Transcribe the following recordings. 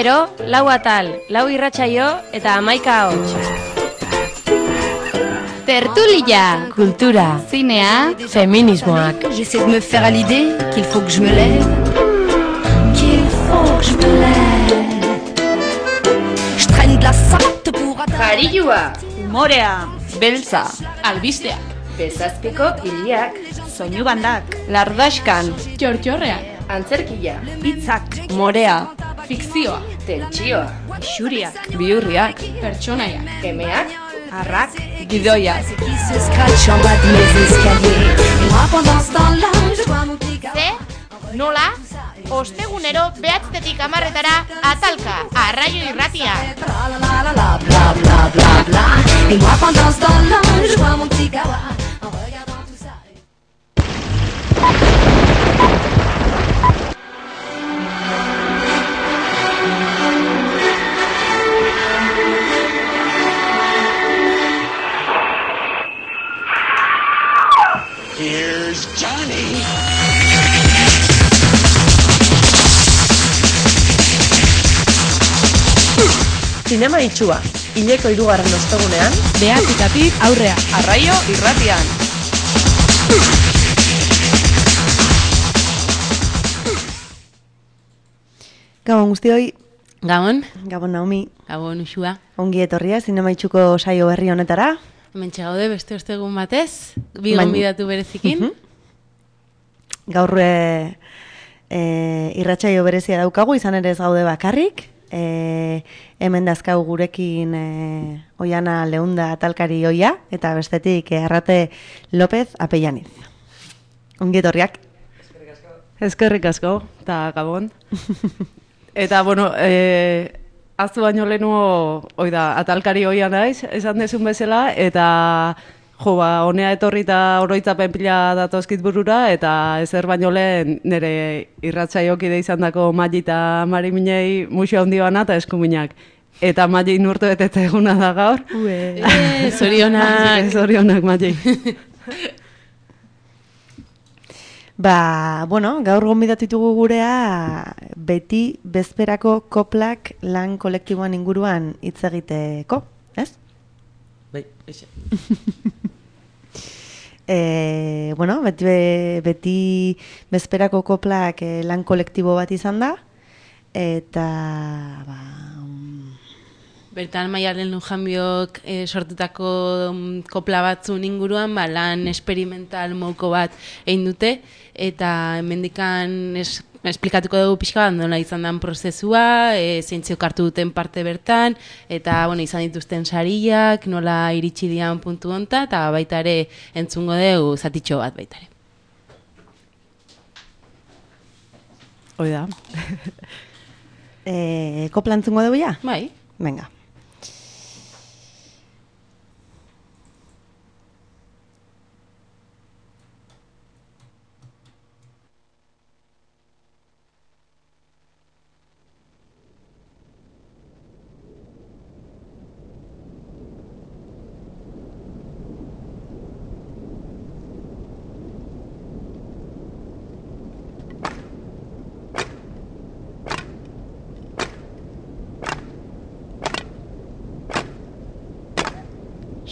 gero, 4 atal, 4 irratsaio eta 11 ahots. Tertulia, kultura, zinea, feminismoak. J'essaie de me faire à l'idée qu'il faut que je me lève, qu'il faut que je me lève. Je traîne de la sorte pour Jarilua, Humorea, beltza, albisteak, bezazpiko hiliak, soinu bandak, lardaskan, txortxorreak, antzerkia, hitzak, morea, fikzioa, tentsioa, xuriak, bihurriak, pertsonaiak, emeak, arrak, gidoiak. qui se scratche en bas de mes escaliers. Et moi pendant ce temps-là, je vois mon petit gars. Ze, nola, ostegunero 9:00 atalka, Arraio Irratia. Bla la la la bla bla bla bla. Et moi pendant ce temps-là, je vois mon petit gars en regardant tout ça. Here's Johnny. Zinema itxua, hileko 3. ostegunean, Behatitatik aurrea, Arraio Irratian. Gabon guztioi, Gabon, Gabon Naomi, gabon usua. ongi etorria zinema itxuko saio berri honetara. Hementxe gaude beste ostegun batez, bi gonbidatu berezikin. Gaur irratsaio berezia daukagu, izan ere ez gaude bakarrik. Hemen dazkau gurekin Oiana Leunda atalkari oia, eta bestetik Arrate López Apellaniz. Ongi etorriak. Eskerrik asko, eta gabon. Eta, bueno, aztu baino lehenuo, atalkari hoia naiz, esan dezun bezala, eta honea etorri eta oroitzapen pila datozkit burura, eta ezer baino lehen nire irratsaioki izan dako Mali eta Mariminei muxo handi bana eta eskuminak. Eta Mali nurtu betete eguna da gaur. Zorionak. Zorionak, Mali. Bueno, gaur gonbidatu ditugu gurea beti bezperako koplak lan kolektiboan inguruan hitz egiteko, ez? Bai, eixe. Bueno, beti bezperako koplak lan kolektibo bat izan da, eta Bertan Maialen Lujanbiok sortutako kopla batzun inguruan, lan experimental moko bat egin dute, eta hemendikan esplikatuko dugu pixka bat nola izan den prozesua, zeintziok hartu duten parte bertan, eta izan dituzten sariak, nola iritsi dian puntu honta, eta baita ere entzungo dugu zatitxo bat baita ere. Hoi da. Kopla entzungo dugu ja? Bai. Venga.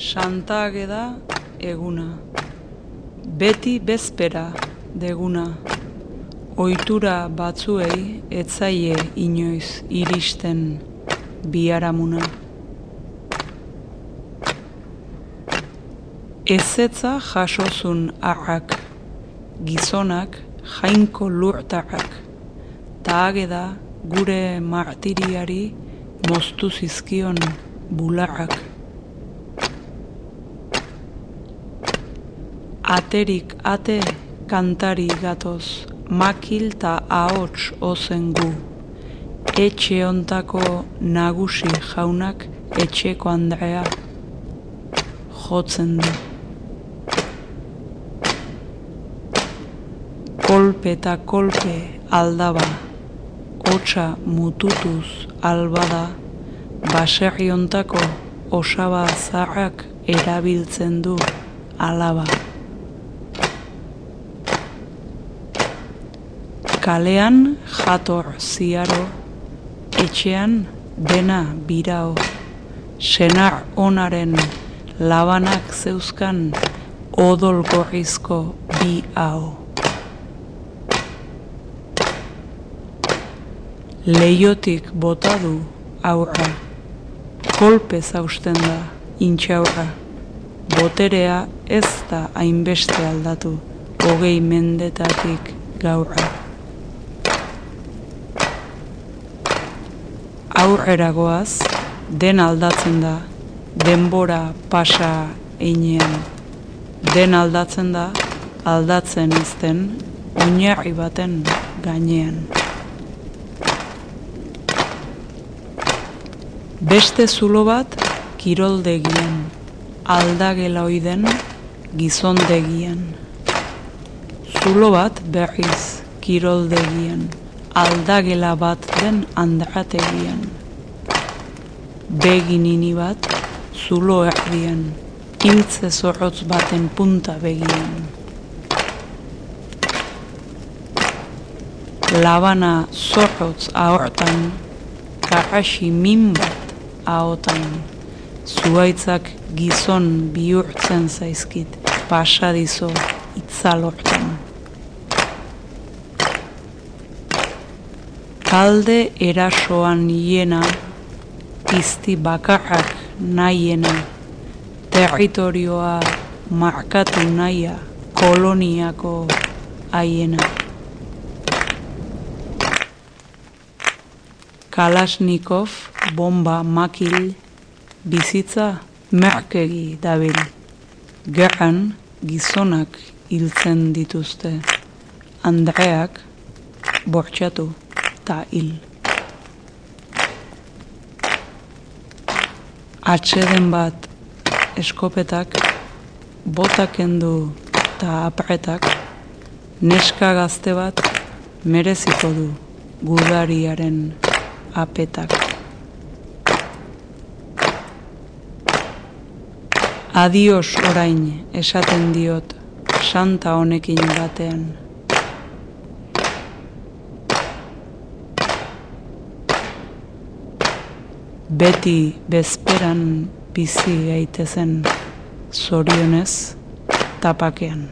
Santa Ageda eguna, beti bezpera deguna, ohitura batzuei etzaie inoiz iristen biharamuna. Ezetza jasozun arrak, gizonak jainko lurtarrak, ta Ageda gure martiriari moztu zizkion bularrak. Aterik ate kantari gatoz, makil ta ahots ozen gu. Etxe ontako nagusi jaunak etxeko Andrea jotzen du. Kolpe eta kolpe aldaba, hotsa mututuz albada, baserri ontako osaba zarrak erabiltzen du alaba. Kalean jator ziaro, etxean dena birao, senar onaren labanak zeuzkan odol gorrizko bi hau. Leiotik bota du aurra, kolpez hausten da intxaurra, boterea ez da hainbeste aldatu, 20 mendetatik gaurra. Aurrera goaz, den aldatzen da, denbora pasa einean. Den aldatzen da, aldatzen ezten, oinarri baten gainean. Beste zulo bat, kiroldegian, aldagela oiden, gizondegian. Zulo bat berriz, kiroldegian, aldagela bat den andrategian. Beginini bat, zulo erdian, intze zorrotz baten punta begian. Labana zorrotz ahortan, karrasi min bat ahotan. Zuaitzak gizon bihurtzen zaizkit, pasadizo itzalortan. Talde erasoan hiena, pizti bakarrak nahiena, territorioa markatu nahia, koloniako haiena. Kalashnikov, bomba makil, bizitza merkegi dabil. Gerran gizonak hiltzen dituzte, andreak bortxatu ta hil. Atxeden bat eskopetak, botak kendu ta apretak, neska gazte bat mereziko du gudariaren apetak. Adios orain esaten diot santa honekin batean. Beti bezperan bizi gaitezen, zorionez tapakean.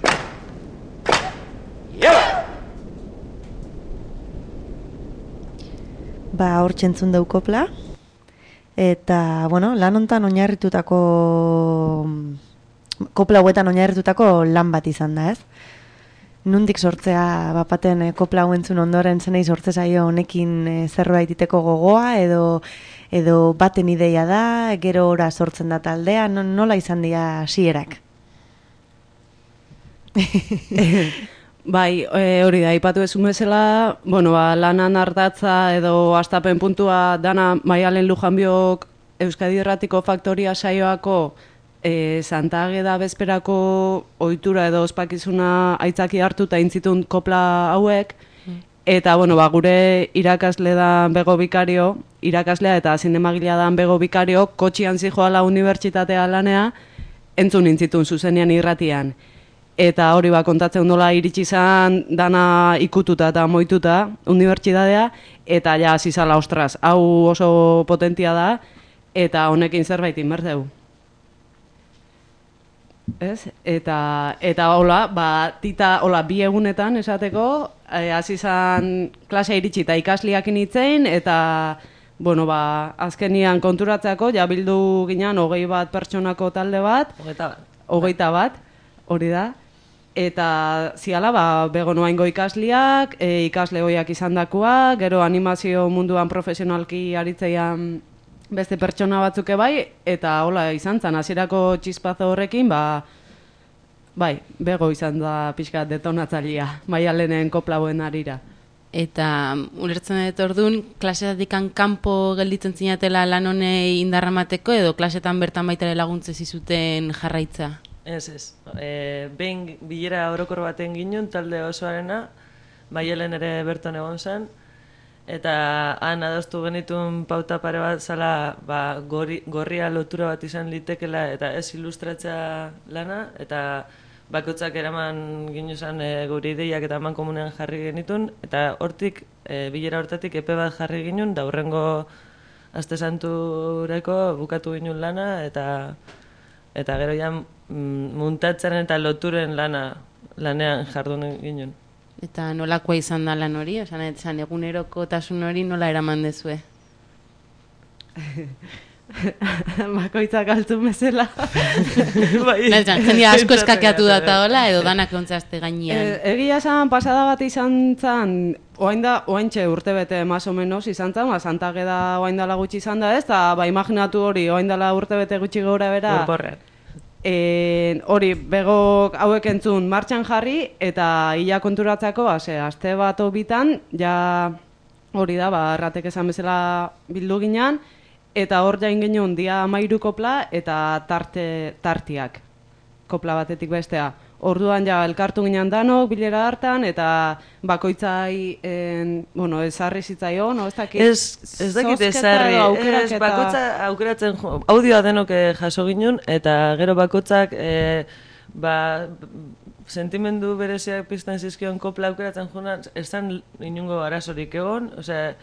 Hor txentzun dau kopla, eta, bueno, lan hontan oinarritutako, kopla hauetan oinarritutako lan bat izan da, ez? Nundik sortzea bapaten kopla hauentzun ondoren zenei sortze zaio honekin zerbait iteko gogoa, edo baten ideia da, gero ora sortzen da taldea, nola izan dira hasierak? Bai, hori da, ipatu ezun bezala, bueno, lanan ardatza edo astapen puntua dana Maialen Lujanbiok Euskadi Irratiko Faktoria saioako Santa Ageda bezperako ohitura edo ospakizuna aitzaki hartuta intzitun kopla hauek, eta, bueno, gure irakasle da Bego Bikario, irakaslea eta zinemagilea da Bego Bikario, kotxian zijoala unibertsitatea lanea, entzun intzitun zuzenean irratian. Eta hori kontatzen nola iritsi izan dana ikututa eta moituta unibertsitatea, eta ja hasi zala, ostras, hau oso potentia da, eta honekin zerbait inberdeu. Ez? Eta hola, tita hola 2 egunetan esateko, hasi izan klasea iritsi eta ikasliak initzein, eta bueno, azkenian konturatzeako, ja bildu ginen 21 pertsonako talde bat, 21, hori da. Eta ziala, bego noaingo ikasliak, ikasle hoiak izandakoa, gero animazio munduan profesionalki aritzeian beste pertsona batzuke bai, eta hola izan zen, hasierako txispazo horrekin, bai, bego izan da pixka detonatzailea, Maialenen koplauen arira. Eta ulertzen dut orduan, klasetatik kanpo gelditzen zinatela lan honei indarramateko, edo klasetan bertan baitare laguntze zizuten jarraitza? Ez. Behin bilera orokor baten ginen, talde osoarena, Maialen ere berton egon zen, eta han adostu genitun pauta pare bat zala gorria lotura bat izan litekela eta ez ilustratzea lana, eta bakotzak eraman ginuzan gure ideiak eta eman komunean jarri genitun, eta hortik, bilera hortatik epe bat jarri ginun, da hurrengo aste santureko bukatu ginun lana, eta gero ja muntatzaren eta loturen lanean jardun ginen. Eta nolakoa izan da lan hori? Esan egunerokotasun hori nola eraman dezue? Bakoitzak altun bezala. Jendia asko eskakeatu data hola, edo danak ontzazte gainean. Egia esan, pasada bat izan zan, oaintxe urte bete más o menos izan zan, Santageda oaindala gutxi izan da ez, eta imaginatu hori oaindala urte bete gutxi gora bera. Urporrean. Hori, begok hauek entzun martxan jarri, eta ia konturatzako, aste bat bitan, ja hori da, erratek esan bezala bildu ginean, eta hor jain genuen dia 13 kopla eta tartiak kopla batetik bestea. Orduan ja elkartu ginen danok bilera hartan eta bakoitzai ezarri zitzaion, ez dakit. Ez dakit ezarri, bakoitza aukeratzen audioa denok jaso ginen eta gero bakoitzak sentimendu bereziak pizten zizkion kopla aukeratzen joan, ez zen inungo arazorik egon, osea,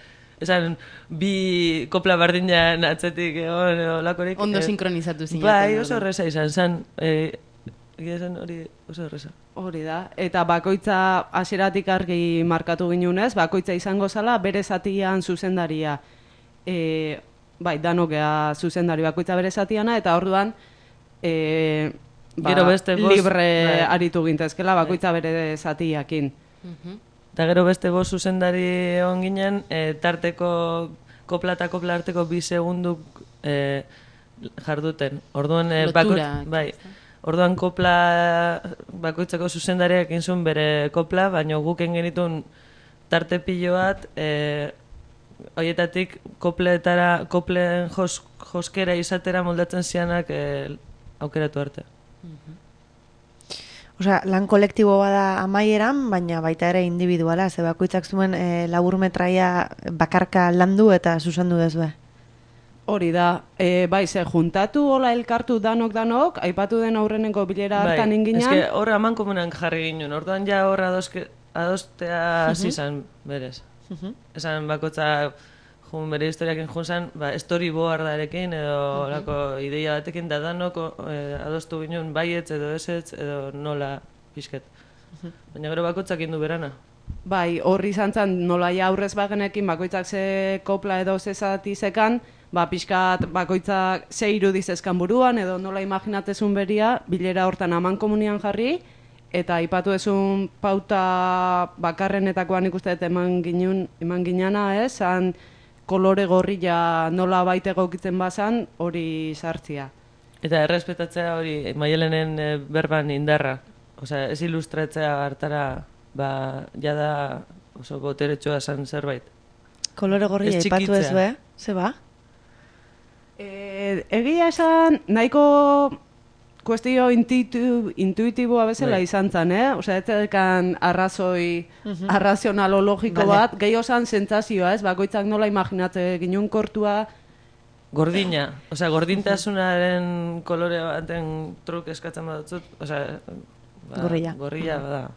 esan bi kopla bardinan atzetik egon edo lakorik. Ondo sinkronizatu zinaten. Bai, oso horreza izan zen. Egia zen hori oso horreza. Hori da. Eta bakoitza hasieratik argi markatu ginunez, bakoitza izango zala bere zatian zuzendaria. Bai, danokea zuzendari bakoitza bere zatiana, eta orduan libre aritu gintezkela bakoitza bere zatiakin. Eta gero beste bost zuzendari egon ginen, tarteko kopla eta kopla arteko 2 segunduk jarduten. Orduan, orduan kopla bakoitzako zuzendariak inzun bere kopla, baina guken genitun tarte pilo bat, horietatik kopleen joskera izatera moldatzen zianak aukeratu arte. Osea, lan kolektibo bada amaieran, baina baita ere individuala, ze bakoitzak zuen labur metraia bakarka landu eta zuzendu dezue. Hori da, bai, ze juntatu hola elkartu danok, aipatu den aurreneko bilera hartan inginan. Eske hor aman komunan jarri ginen, orduan ja hor adostea hasi izan berez. Esan bakotza bere historiakin junzan, storyboardarekin edo lako ideia batekin da danok adostu ginen baietz edo ezetz edo nola pixket. Baina gero bakotzak indu berana. Bai, horri izan zen nola ja aurrez bagenekin bakoitzak ze kopla edo ze zati zekan, pixkat bakoitzak ze irudiz ezkan buruan edo nola imaginatezun beria, bilera hortan aman komunian jarri, eta aipatu ezun pauta bakarrenetakoan ikusteet eman ginana, zan kolore gorria nola baite egokitzen bazan, hori sartzia. Eta errespetatzea hori Maialenen berban indarra. Osea, ez ilustratzea hartara, jada oso boteretsua zen zerbait. Kolore gorria aipatu ez be, ze ba? Egia esan, nahiko kuestio intuitiboa bezala izan zen, Osea, ez dekan arrazoi arrazionalologiko bat, gehi osan sentsazioa, bakoitzak nola imaginatze ginen kortua. Gordina, osea, gordintasunaren kolore baten truk eskatzen badutzut, osea, gorria bada.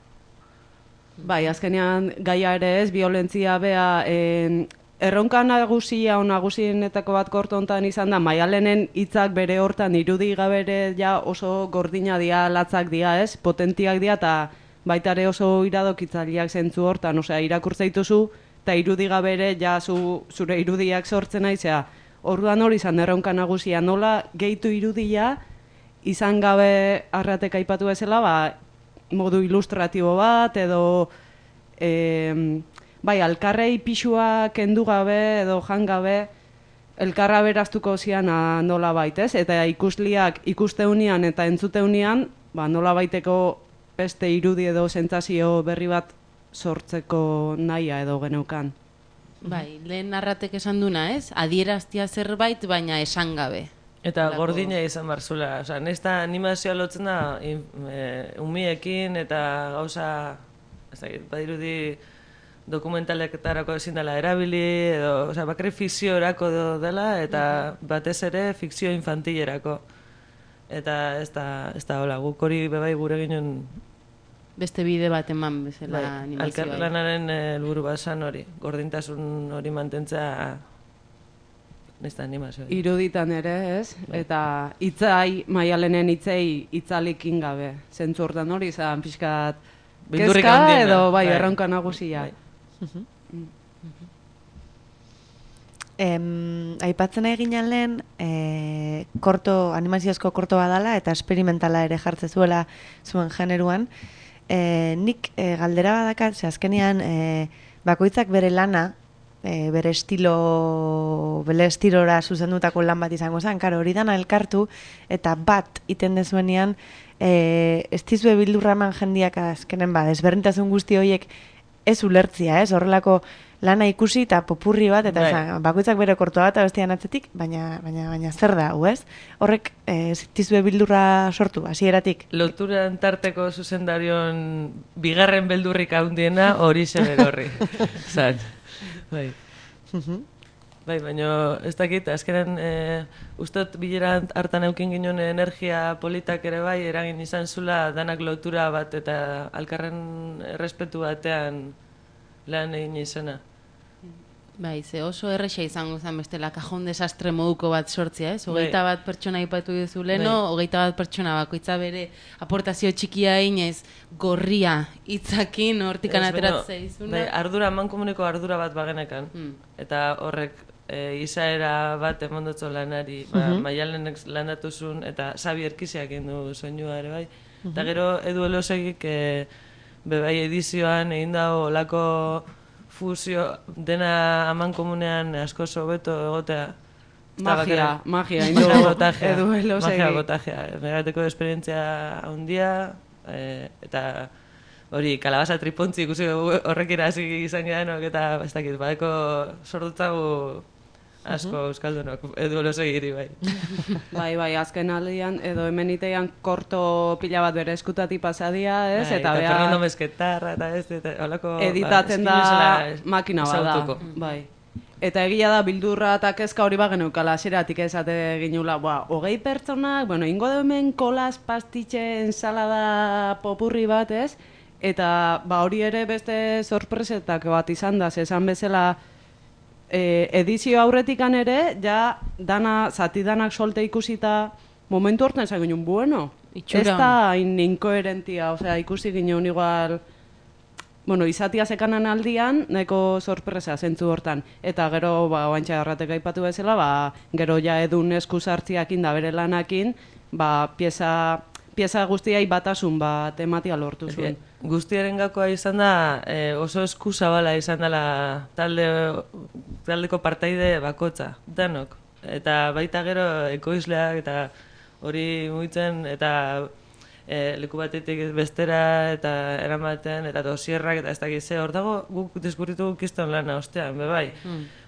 Bai, azkenean gaia ere ez, violentzia bea, erronka nagusienetako bat korto hontan izan da, Maialenen hitzak bere hortan irudi gabere ja oso gordina dia, latzak dia, potentiak dia, eta baita ere oso iradokitzaileak zentzu hortan, osea, irakurtza dituzu, eta irudi gabere ja zure irudiak sortzen naizea. Orduan hori izan erronka nagusia, nola gehitu irudia, izan gabe arratek aipatu bezala, modu ilustratibo bat, edo bai, alkarrei pixua kendu gabe edo jan gabe, elkarra beraztuko ziana nola baitez, eta ikusliak ikusteunean eta entzuteunean, nola baiteko beste irudi edo sentsazio berri bat sortzeko nahia edo geneukan. Bai, lehen arratek esan duna, adieraztia zerbait, baina esan gabe. Eta gordina izan barzula, osea, nesta animazioa lotzen da umiekin eta gauza, ez dakit, badirudi dokumentaletarako ezin dela erabili, edo, bakre fikziorako dela, eta batez ere fikzio infantilerako. eta ez da hola, guk hori bebai gure ginen Beste bide bat eman bezala animazioa. Elkarlanaren helburu bat zan hori, gordintasun hori mantentzea nesta animazioa. Iruditan ere, ez? Eta hitzai, Maialenen hitzei itzalikin gabe. Zentzu hortan hori izan pixkat kezka edo bai, erronka nagusia. Aipatzen egin lehen animaziozko korto badala eta esperimentala ere jartze zuela zuen generuan. Nik galdera badakat, ze azkenean bakoitzak bere lana, bere estilora zuzendutako lan bat izango zen, karo, hori dana elkartu eta bat iten dezuenean ez dizue bildurra eman jendiak azkenen desberdintasun guzti horiek ez ulertzia, ez? Horrelako lana ikusi eta popurri bat, eta bakoitzak bere kortoa bat abestian atzetik, baina zer da, ez? Horrek zitizue bildurra sortu, hasieratik. Loturan tarteko zuzendarion bigarren beldurrik handiena hori zer horri. Zan, bai. Bai, baina ez dakit, azkenen ustot bilera hartan eukin ginen energia politak ere bai, eragin izan zula danak lotura bat eta alkarren errespetu batean lan egin izena. Bai, ze oso erresa izango zen bestela kajon desastre moduko bat sortzia, ez? 21 pertsona aipatu duzu leno, 21 pertsona bakoitza bere aportazio txikia inez gorria hitzakin hortikan ateratzea izuna. Bai, ardura, mankomuneko ardura bat bagenekan. Eta horrek izaera bat emondotzo lanari, Maialenek landatu zuen, eta Xabi Erkiziak du soinua ere bai. Eta gero Edu Elosegik bebai edizioan egin dago olako fusio dena aman komunean asko hobeto egotea. Magia, Edu Elosegi. Magia botajea. Megateko esperientzia handia, eta hori, kalabaza tripontzi ikusi horrekira hasi izan gehanok, eta ez dakit, badeko sordutzagu asko euskaldunok, Edu Elosegiri bai. Bai, azken aldian, edo hemen itean korto pila bat bere eskutati pasadia, ez? Eta Fernando Mesquetarra, eta ez, holako editatzen da makina bada. Bai. Eta egia da bildurra eta kezka hori bageneukala hasieratik esate ginula, 20 pertsonak, ingo da hemen kolas, pastitxe, ensalada popurri bat, ez? Eta hori ere beste sorpresetak bat izan da, esan bezala edizio aurretikan ere, ja zati danak solte ikusita momentu hortan esan ginen, bueno, ez da inkoherentia, osea, ikusi ginen igual, izatia zekanan aldian, nahiko sorpresa zentzu hortan. Eta gero, oantxa erratek aipatu bezala, gero ja Edun esku sartziakin da bere lanakin, pieza guztiai batasun bat ematia lortu zuen. Guztiaren gakoa izan da, oso esku zabala izan dela taldeko partaide bakotza, danok. Eta baita gero ekoizleak eta hori mugitzen, eta leku batetik bestera eta eramaten, eta dosierrak eta ez dakize, hor dago guk deskurritu kiston lana ostean, bebai.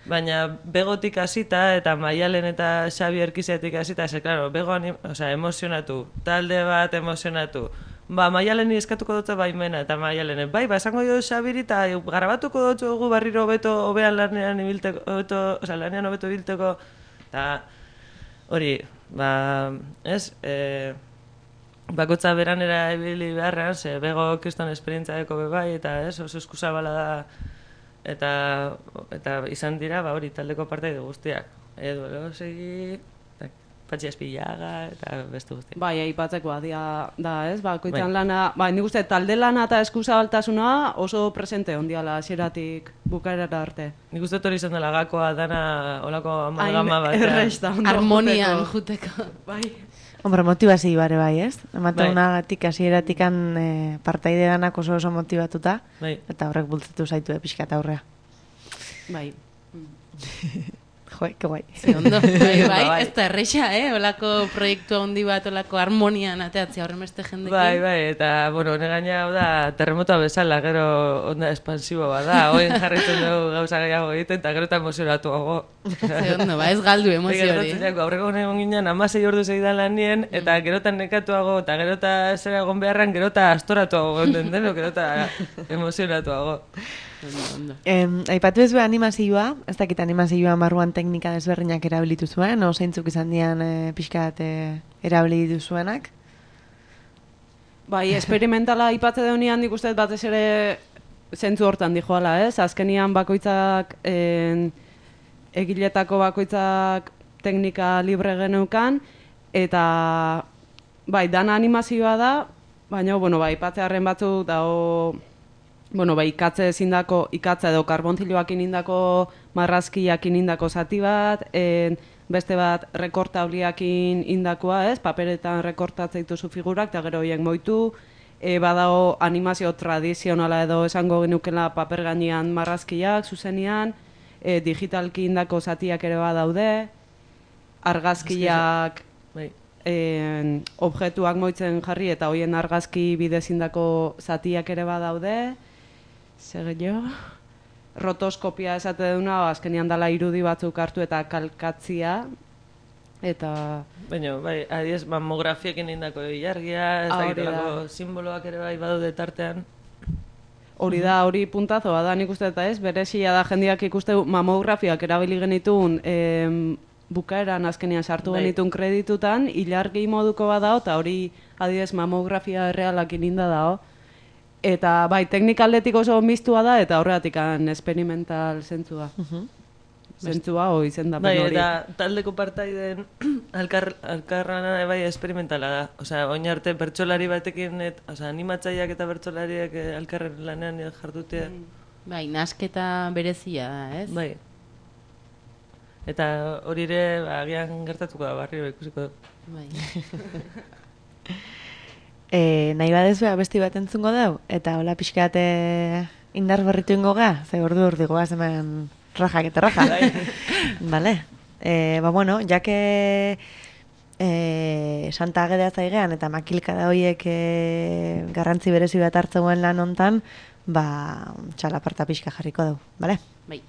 Baina begotik hasita eta Maialen eta Xabi Erkiziatik hasita, klaro, begoan emozionatu, talde bat emozionatu. Maialeni eskatuko dut baimena, eta Maialene, esango dio Xabiri eta garabatuko dut gu barriro hobean lanean hobeto ibilteko, eta hori, ez, bakotza beranera ibili beharrean, ze bego kriston esperientzaeko bebai, eta ez, oso eskuzabala da, eta izan dira, hori, taldeko partaide guztiak. Edu Elosegi, Patxi Espillaga, eta beste guztiak. Bai, aipatzeko da, ez, bakoitzan lana, nik uste, talde lana eta eskuzabaltasuna oso presente ondiala hasieratik bukaerara arte. Nik uste hori izan dela gakoa dana olako amalgama bat. Harmonian juteko. Bai. Hombre, motivazio bare bai, ez? Ematunagatik hasieratik partaide danak oso motivatuta, eta horrek bultzatu zaitu pixkat aurrea. Bai. Joe, que guai. Ondo, bai, ez da erreixa, olako proiektu handi bat, olako harmonian ateatzea horren beste jendekin. Bai, eta, hone gaina hau da, terremotoa bezala, gero onda espansibo bat da, hoen jarritzen dugu gauza gehiago egiten, eta gero eta emozionatu hago. Ze ondo, ez galdu emozio hori. Aurreko honen ginen, 16 ordu segidan lanien, eta gero eta nekatuago, eta gero eta zera egon beharran, gero eta astoratuago gonden deno, gero eta emozionatuago. Aipatu ez animazioa, ez dakit animazioa marruan teknika desberdinak erabilitu zuen, o zeintzuk izan dian pixkat erabili duzuenak? Bai, esperimentala ipatze deunean nik uste batez ere zentzu hortan dijoala, ez? Azkenian bakoitzak, egiletako bakoitzak teknika libre geneukan, eta bai, dana animazioa da, baina, bueno, bai, ipatzearen batzuk dago, bueno, bai, ikatze edo karbonziloak inindako marrazkiak inindako zati bat, beste bat rekortabliakin indakoa, ez? Paperetan rekortatzen dituzu figurak, eta gero horiek moitu, badago animazio tradizionala edo esango genukela paper gainean marrazkiak, zuzenian, digitalki indako zatiak ere badaude, argazkiak objektuak moitzen jarri eta hoien argazki bidez indako zatiak ere badaude, rotoskopia esate duna, azkenean dala irudi batzuk hartu eta kalkatzia, eta... Baina, bai, adiez, mammografiakin indako ilargia, ez dakitelako simboloak ere bai badaude tartean. Hori da, hori puntazoa da, nik uste eta ez, berezia da jendeak ikuste mamografiak erabili genitun bukaeran azkenean sartu genitun kreditutan, ilargi moduko badao, eta hori adiez mamografia errealakin inda dao. Eta bai, teknikaldetik oso mistua da, eta horregatik experimental zentzua. Zentzua, izendapen hori. Bai, eta taldeko partaiden alkarrana bai experimentala da. Osea, oin arte bertsolari batekin, animatzaileak eta bertsolariak alkarren lanean jardutea. Bai, nasketa berezia da, ez? Bai. Eta hori ere, agian gertatuko da, barrio ikusiko du. Bai. Nahi badezu abesti bat entzungo dau, eta hola pixkat indar berritu ingo ga, ze ordu goaz hemen rajak eta raja. Vale. Ba bueno, jake Santa Agedea zaigean eta makilkada horiek garrantzi berezi bat hartzeuen lan hontan, ba txalaparta pixka jarriko dau, vale? Bai.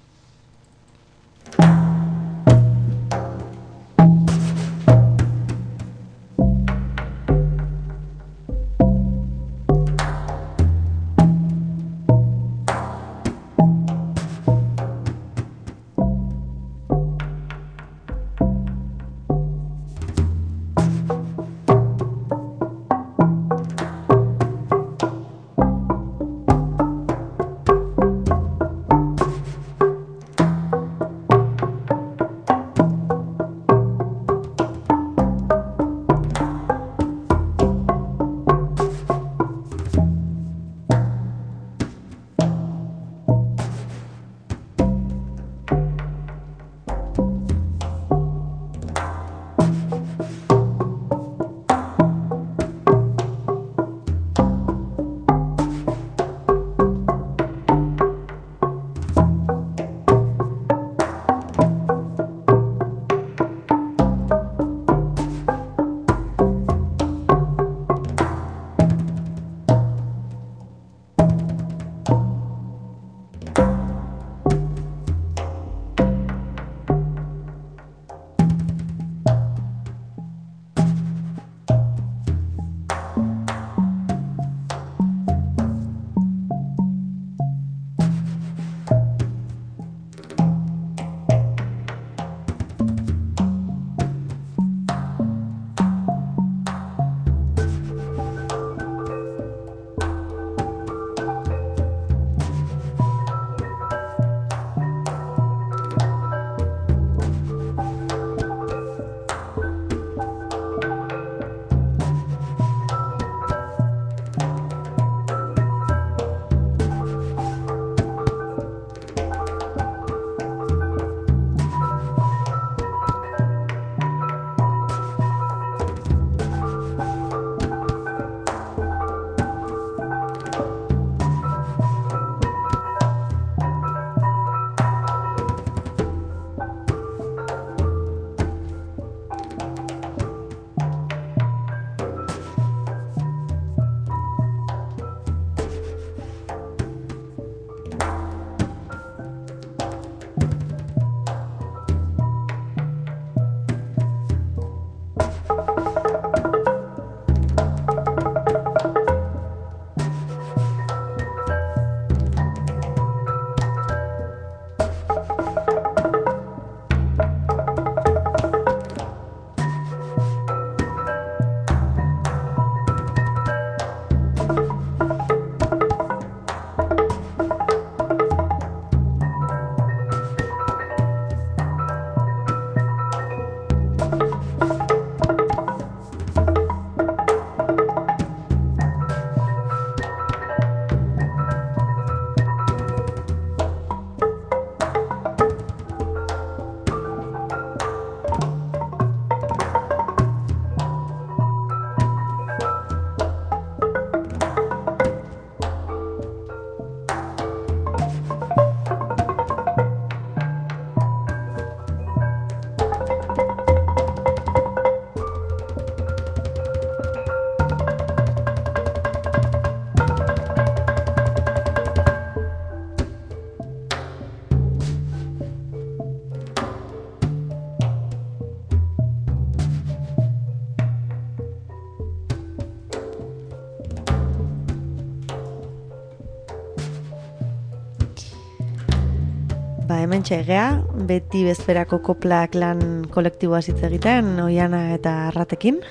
hemen txegea, beti bezperako koplak lan kolektiboa hitz egiten, Oiana eta Arratekin.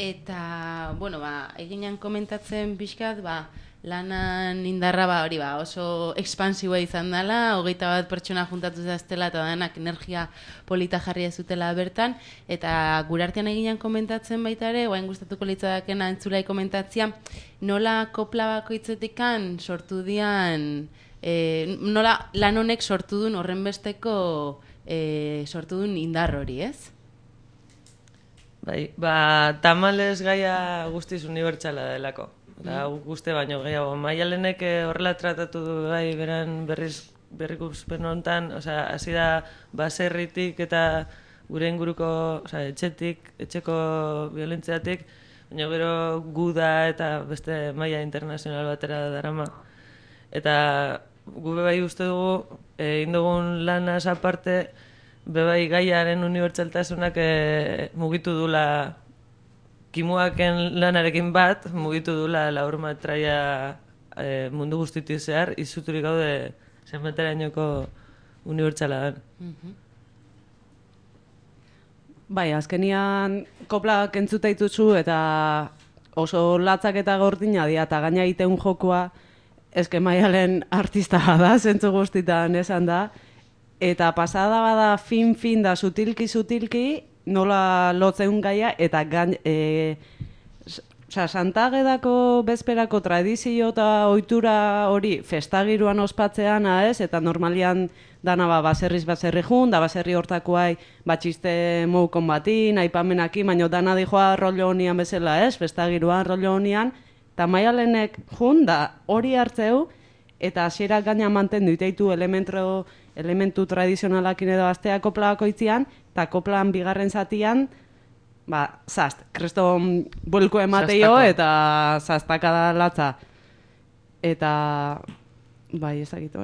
Eta, bueno, eginan komentatzen pixkat, lanan indarra hori oso ekspansiboa izan dela, 21 pertsona juntatu zaztela eta denak energia polita jarria zutela bertan, eta gure artean eginan komentatzen baita ere, guain gustatuko litzadakena entzulai komentatzia, nola kopla bakoitzetikan sortu dian, nola lan honek sortu duen horrenbesteko sortu duen indar hori, ez? Bai, tamales gaia guztiz unibertsala delako. Eta guzti baino gehiago. Maialenek horrela tratatu du bai beran berrikuspen honetan, hasi da baserritik eta gure inguruko, etxetik, etxeko violentziatik, baina gero guda eta beste maila internazional batera darama. Eta gube bai uste dugu, egin dugun lanaz aparte, bebai gaiaren unibertsaltasunak mugitu dula kimuaken lanarekin bat, mugitu dula laurmetraia mundu guztitik zehar, izuturik gaude zenbaterainoko unibertsala den. Bai, azkenian koplak entzuta dituzu eta oso latzak eta gordina dira eta gaina egiten jokoa eske Maialen artista da, zentzu guztitan esan da. Eta pasada bada fin da sutilki nola lotzen gaia eta Santagedako bezperako tradizio eta ohitura hori festagiruan ospatzean ez, eta normalian dana baserriz baserri jun, da baserri hortakoai batxiste moukon batin, aipamenaki, baina dana dijoa rollo honian bezala ez, festagiruan rollo honian, eta Maialenek jun da hori hartzeu, eta hasierak gaina mantendu iteitu elementu tradizionalakin edo astea kopla bakoitzian, eta koplan bigarren zatian, kriston buelko emateio eta zaztaka da latza. Eta, bai, ezagitu.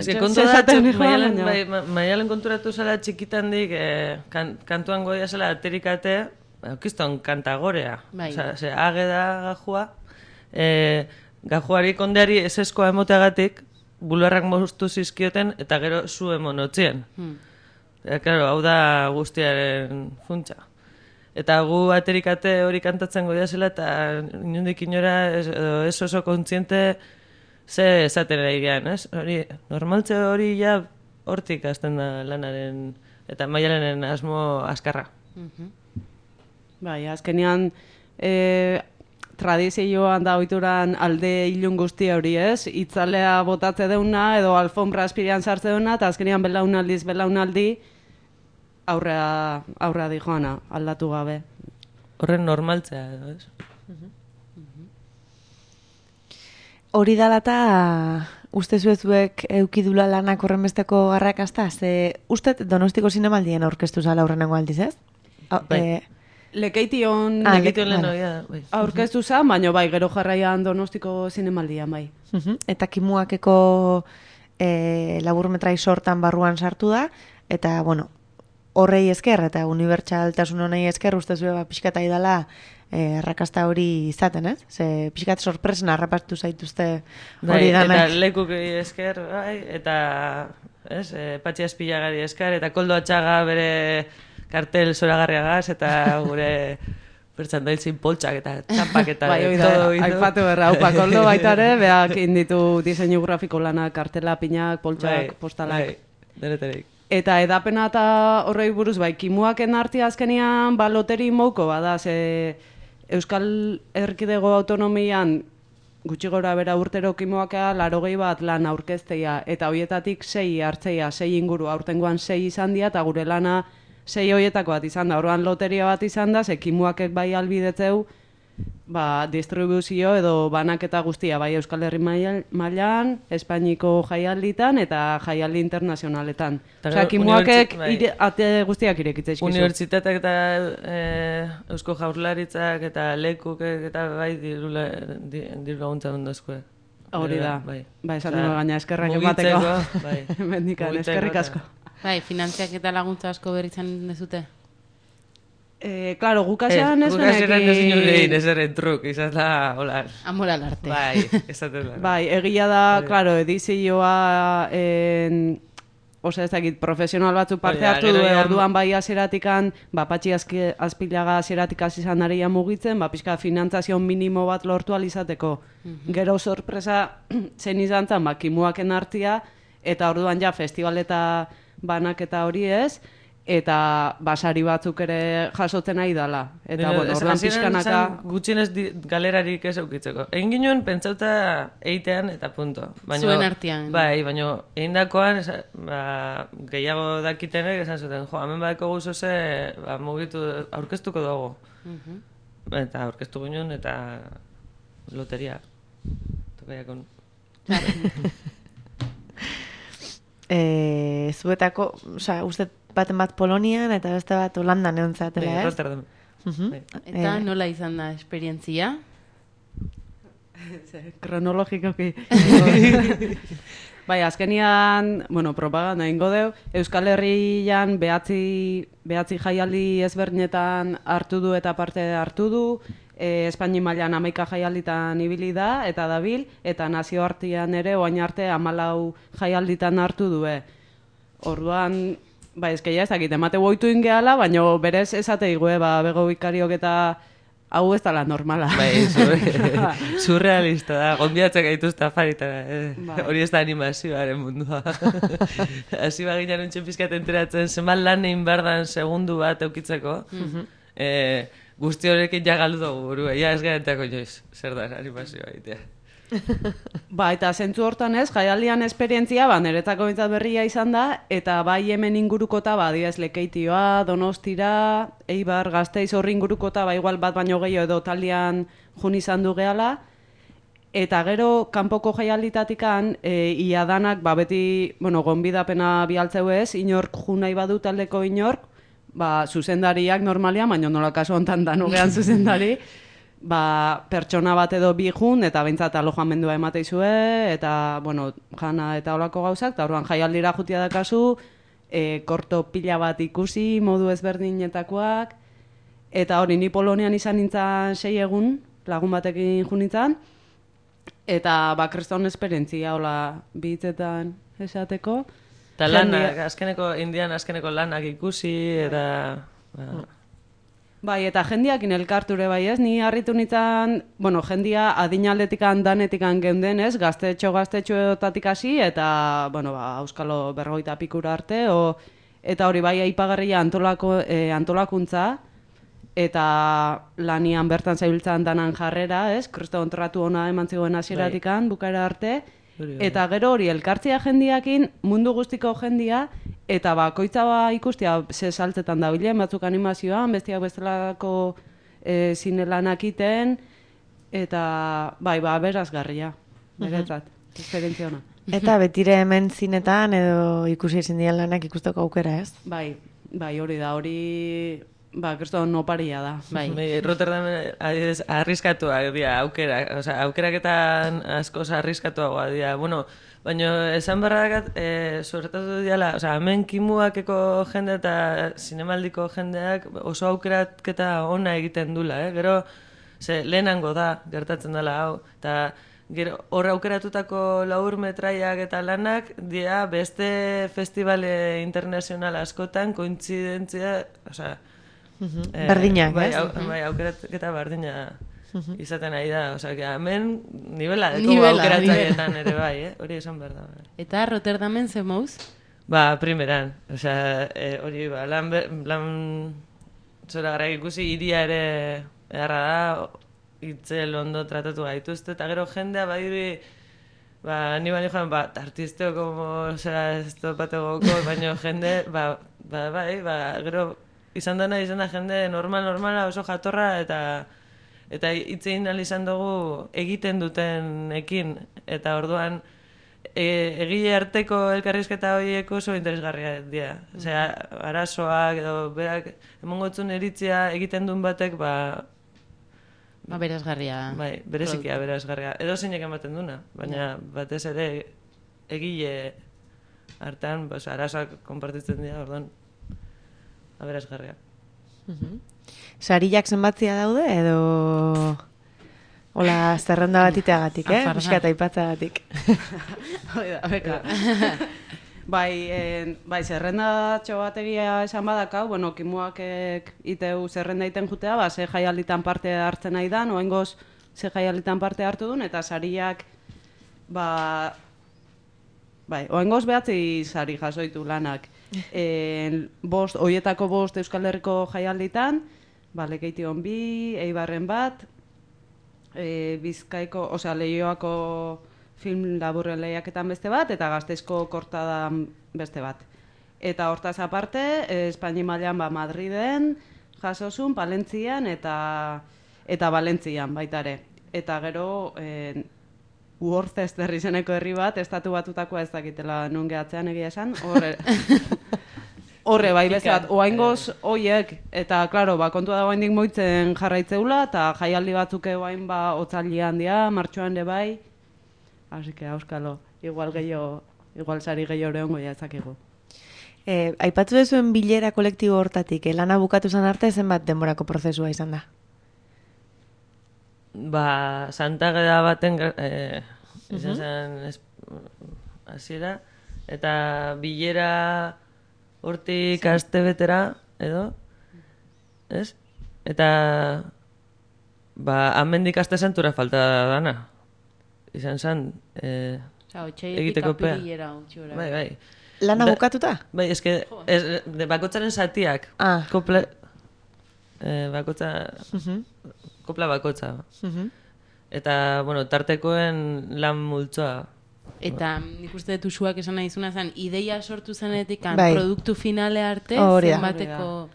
Maialen konturatu zela txikitandik, kantuan goia zela aterikate, okizton kantagorea. Ageda gajua, gajuari kondeari eseskoa emoteagatik, bularrak moztu zizkioten eta gero zu emonotzien. Hau da guztiaren funtsa. Eta gu aterikate hori kantatzen goia zela eta inundik inora ez oso kontziente ze esaten ari gehan, ez? Normaltze hori ja hortik hasten da lanaren eta Maialenen asmo askarra. Bai, azkenean tradizioan da ohituran alde ilun guzti hori ez, itzalea botatze deuna edo alfombra aspirian sartze deuna eta azkenean belaunaldi aurrea di joana, aldatu gabe. Horren normaltzea edo, ez? Hori dala eta uste zuezuek eukidula lanak horren besteko arrakasta? Ze ustet Donostiko Zinemaldien aurkeztu zala horrenengo aldiz, ez? Lekeition aurkeztu zen, baina bai, gero jarraian Donostiko Zinemaldian, bai. Eta kimuakeko laburmetrai sortan barruan sartu da, eta, bueno, horrei esker eta unibertsaltasun honei esker uste zuen pixkata idala arrakasta hori izaten, ez? Ze pixkat sorpresen harrapatu zaituzte hori danak. Eta lekuk esker, bai, eta Patxi Azpilagari esker, eta Koldo Atxaga bere kartel zoragarriagaz, eta gure pertsandaitzin poltsak eta txampak eta todo. Aipatu berra, Koldo baita ere, beak inditu diseinu grafiko lanak, kartela, pinak, poltsak, postalak. Deneterik. Eta edapena eta horrei buruz, kimuaken artia azkenean loteri mouko bada, ze Euskal Erkidego autonomian gutxi gora bera urtero kimuakea 80 bat lan aurkezteia, eta hoietatik 6 hartzeia, 6 inguru, aurtengoan 6 izan dira, eta gure lana 6 hoietako bat izan da, orduan loteria bat izan da, ze kimuakek bai albidetzeu, distribuzio edo banaketa guztia, bai Euskal Herri mailan, Espainiko jaialditan eta jaialdi internazionaletan. Osea, kimuakek ate guztiak irekitza izkizu. Unibertsitateak eta Eusko Jaurlaritzak eta lekuk eta bai diru laguntza ondozkoe. Hori da, esan dugu gaina eskerrak emateko. Mendikan, eskerrik asko. Bai, finantziak eta laguntza asko berritzen dezute? Claro, gukasean ez Gukasean ez inurein, ez erren truk, izan da, hola. Amoral arte. Bai, esaten da. Bai, egia da, claro, edizioa, osea ez dakit, profesional batzuk parte hartu du, orduan bai azeratikan, Patxi Azpilaga azeratik hasi izan daria mugitzen, pixka finantzazio minimo bat lortu alizateko. Gero sorpresa zen izan zen, kimuaken artia, eta orduan ja festival eta banaketa hori ez, eta basari batzuk ere jasotzen nahi dala. Eta, orduan pixkanaka... Gutxienez galerarik ez eukitzeko. Egin ginoen pentsauta eitean eta punto. Zuen artean. Bai, baina egindakoan gehiago dakitenek esan zuten, hemen badeko guzoze mugitu aurkeztuko dugu. Eta aurkeztu ginoen eta loteria. Tokaiakon. Zuetako, uste baten bat Polonian eta beste bat Holandan egon zatela, ez? Rotterdam. Eta nola izan da esperientzia? Kronologikoki. Bai, azkenian, propaganda ingo deu, Euskal Herrian behatzi jaialdi ezberdinetan hartu du eta parte hartu du, Espaini mailan 11 jaialditan ibili da eta dabil, eta nazioartean ere orain arte 14 jaialditan hartu du. Orduan, ezkeia ez dakit, emate goitu ingeala, baina berez esate igue, bego bikariok eta hau ez dala normala. Bai, surrealista da, gonbiatzen gaituzte afaritara, hori ez da animazioaren mundua. Hasi baginan untxen pizkat enteratzen, zenbat lan egin behar segundu bat eukitzeko, guzti horrekin ja galdu dugu burua, ez garetako joiz, zer da animazioa egitea. Eta zentzu hortan ez, jaialdian esperientzia, niretzako bintzat berria izan da, eta bai hemen ingurukota, diez Lekeitioa, Donostira, Eibar, Gasteiz horri ingurukota, igual bat baino gehiago edo taldean jun izan du gehala, eta gero kanpoko jaialditatikan, ia danak, beti, gonbidapena bialtzeu ez, inork jun nahi badu taldeko inork, zuzendariak normalian, baina nola kasu hontan danugean zuzendari, pertsona bat edo bi jun, eta behintzat alojamendua emateizue, eta, jana eta olako gauzak, eta orduan jaialdira jutia dakazu, korto pila bat ikusi, modu ezberdinetakoak, eta hori ni Polonian izan nintzen 6 egun, lagun batekin jun nintzen, eta kriston esperientzia, hola, bitzetan esateko. Eta lanak, indian azkeneko lanak ikusi, eta... Eta jendiakin elkarture bai ez, ni harritu nintzen, jendia adinaldetikan danetikan geunden ez, gaztetxoetatik hasi, eta, auskalo 50 pikura arte, eta hori bai aipagarria antolakuntza, eta lanian bertan zailtzen danan jarrera ez, kriston tratu ona eman zigoen hasieratikan bukaera arte, eta gero hori elkartzea jendiakin, mundu guztiko jendia, eta bakoitza ikustia ze saltzetan da bilen, batzuk animazioan, bestiak bestelako zinelanak iten, eta berazgarria, beretzat, esperientzia ona. Eta betire hemen zinetan edo ikusi ezin dian lanak ikusteko aukera, ez? Bai, hori da, hori... kriston oparia da. Rotterdam arriskatuak dira, aukeraketan askoz arriskatuagoa dira. Baina esan barrakat, sobretatu diala, hemen kimuakeko jende eta zinemaldiko jendeak oso aukeraketa ona egiten dula, gero lehenango da, gertatzen dela hau, eta gero hor aukeratutako laur metraiak eta lanak dira beste festivale internazional askotan kointzidentzia, berdinak, ez? Bai, aukeraketa berdina izaten ari da, hemen nivela deko aukeratzaietan ere bai, hori esan behar da. Eta Rotterdamen ze mouz? Primeran, hori, lan zora gara ikusi, iria ere edarra da, itzel ondo tratatu gaituzte, eta gero jendea badiri, ni baino joan, artisteo como, ez topate goko, baino jende, gero izan da jende normala, oso jatorra, eta hitzein izan dugu egiten dutenekin, eta orduan egile arteko elkarrizketa horiek oso interesgarria dira. Arazoak edo berak emongotzun eritzia egiten duen batek, berazgarria. Berezikia berazgarria. Edo zeinek ematen duna, baina batez ere egile artean arazoak konpartitzen dira, orduan berazgarria. Sariak zenbatzia daude edo... Hola, zerrenda batiteagatik, Piskat aipatzagatik. Oida, beka. Bai, zerrendatxo bat egia esan badakau, bueno, kimuak iteu zerrenda iten jutea, ze jaialditan parte hartzen nahi dan, oengoz ze jaialditan parte hartu duen, eta sariak, oengoz behatzi sari jasoitu lanak. Hoietako 5 Euskal Herriko jaialditan, Lekeition 2, Eibarren bat, Bizkaiko, Leioako film laburren lehiaketan beste bat, eta Gasteizko kortadan beste bat. Eta hortaz aparte, Espaini mailan Madriden, jasozun, Palentzian eta Valentzian baitare. Eta gero, Worcester izeneko herri bat, estatu batutakoa ez dakitela nun gehatzean egia esan, horre bai bezat, oaingoz oiek, eta, klaro, kontua da oaindik moitzen jarraitzeula, eta jaialdi batzuk oain otzaldian dia, martxoan de bai, así que, auskalo, igual sari gehiago hongo jatzakegu. Aipatu dezuen bilera kolektibo hortatik, lana bukatu zan arte zenbat denborako prozesua izan da? Santa Ageda baten izan zen hasiera, eta bilera hortik aste betera, edo, ez? Eta, amendik aste santura falta dana. Izan zen, egiteko pea. Bai. Lana bukatuta? Bai, eske, bakotzaren zatiak. Kopla bakotza. Eta, tartekoen lan multzoa. Eta nik uste dut usuak esan nahi zuna zen, ideia sortu zenetik produktu finale arte zenbateko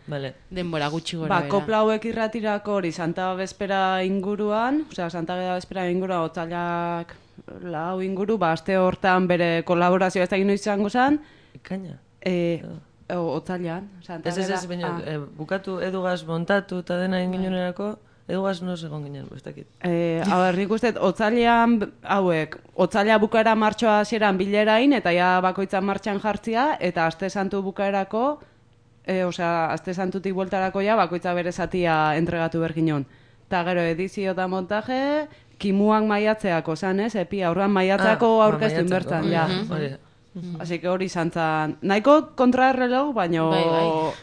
denbora gutxi gora bera. Kopla hauek irratirako hori Santa Bespera inguruan, Santa Ageda Bespera inguruan, otzailak lau inguru, aste hortan bere kolaborazioa ez da gino izango zen. Ikaina? Otzailan. Ez, baina bukatu edugaz montatu eta dena inginunerako, edugaz no segon ginen, ez dakit. Nik uste, otzailean hauek, otzaila bukaera martxoa hasieran bilerain, eta ja bakoitzan martxan jartzia, eta aste santu bukaerako, aste santutik bueltarako ja, bakoitza bere zatia entregatu berginon. Eta gero edizio eta montaje, kimuak maiatzeako zan, ez? Aurran maiatzeako aurkeztun bertan, ja. Así que hori izan zan, nahiko kontraerreleu, baina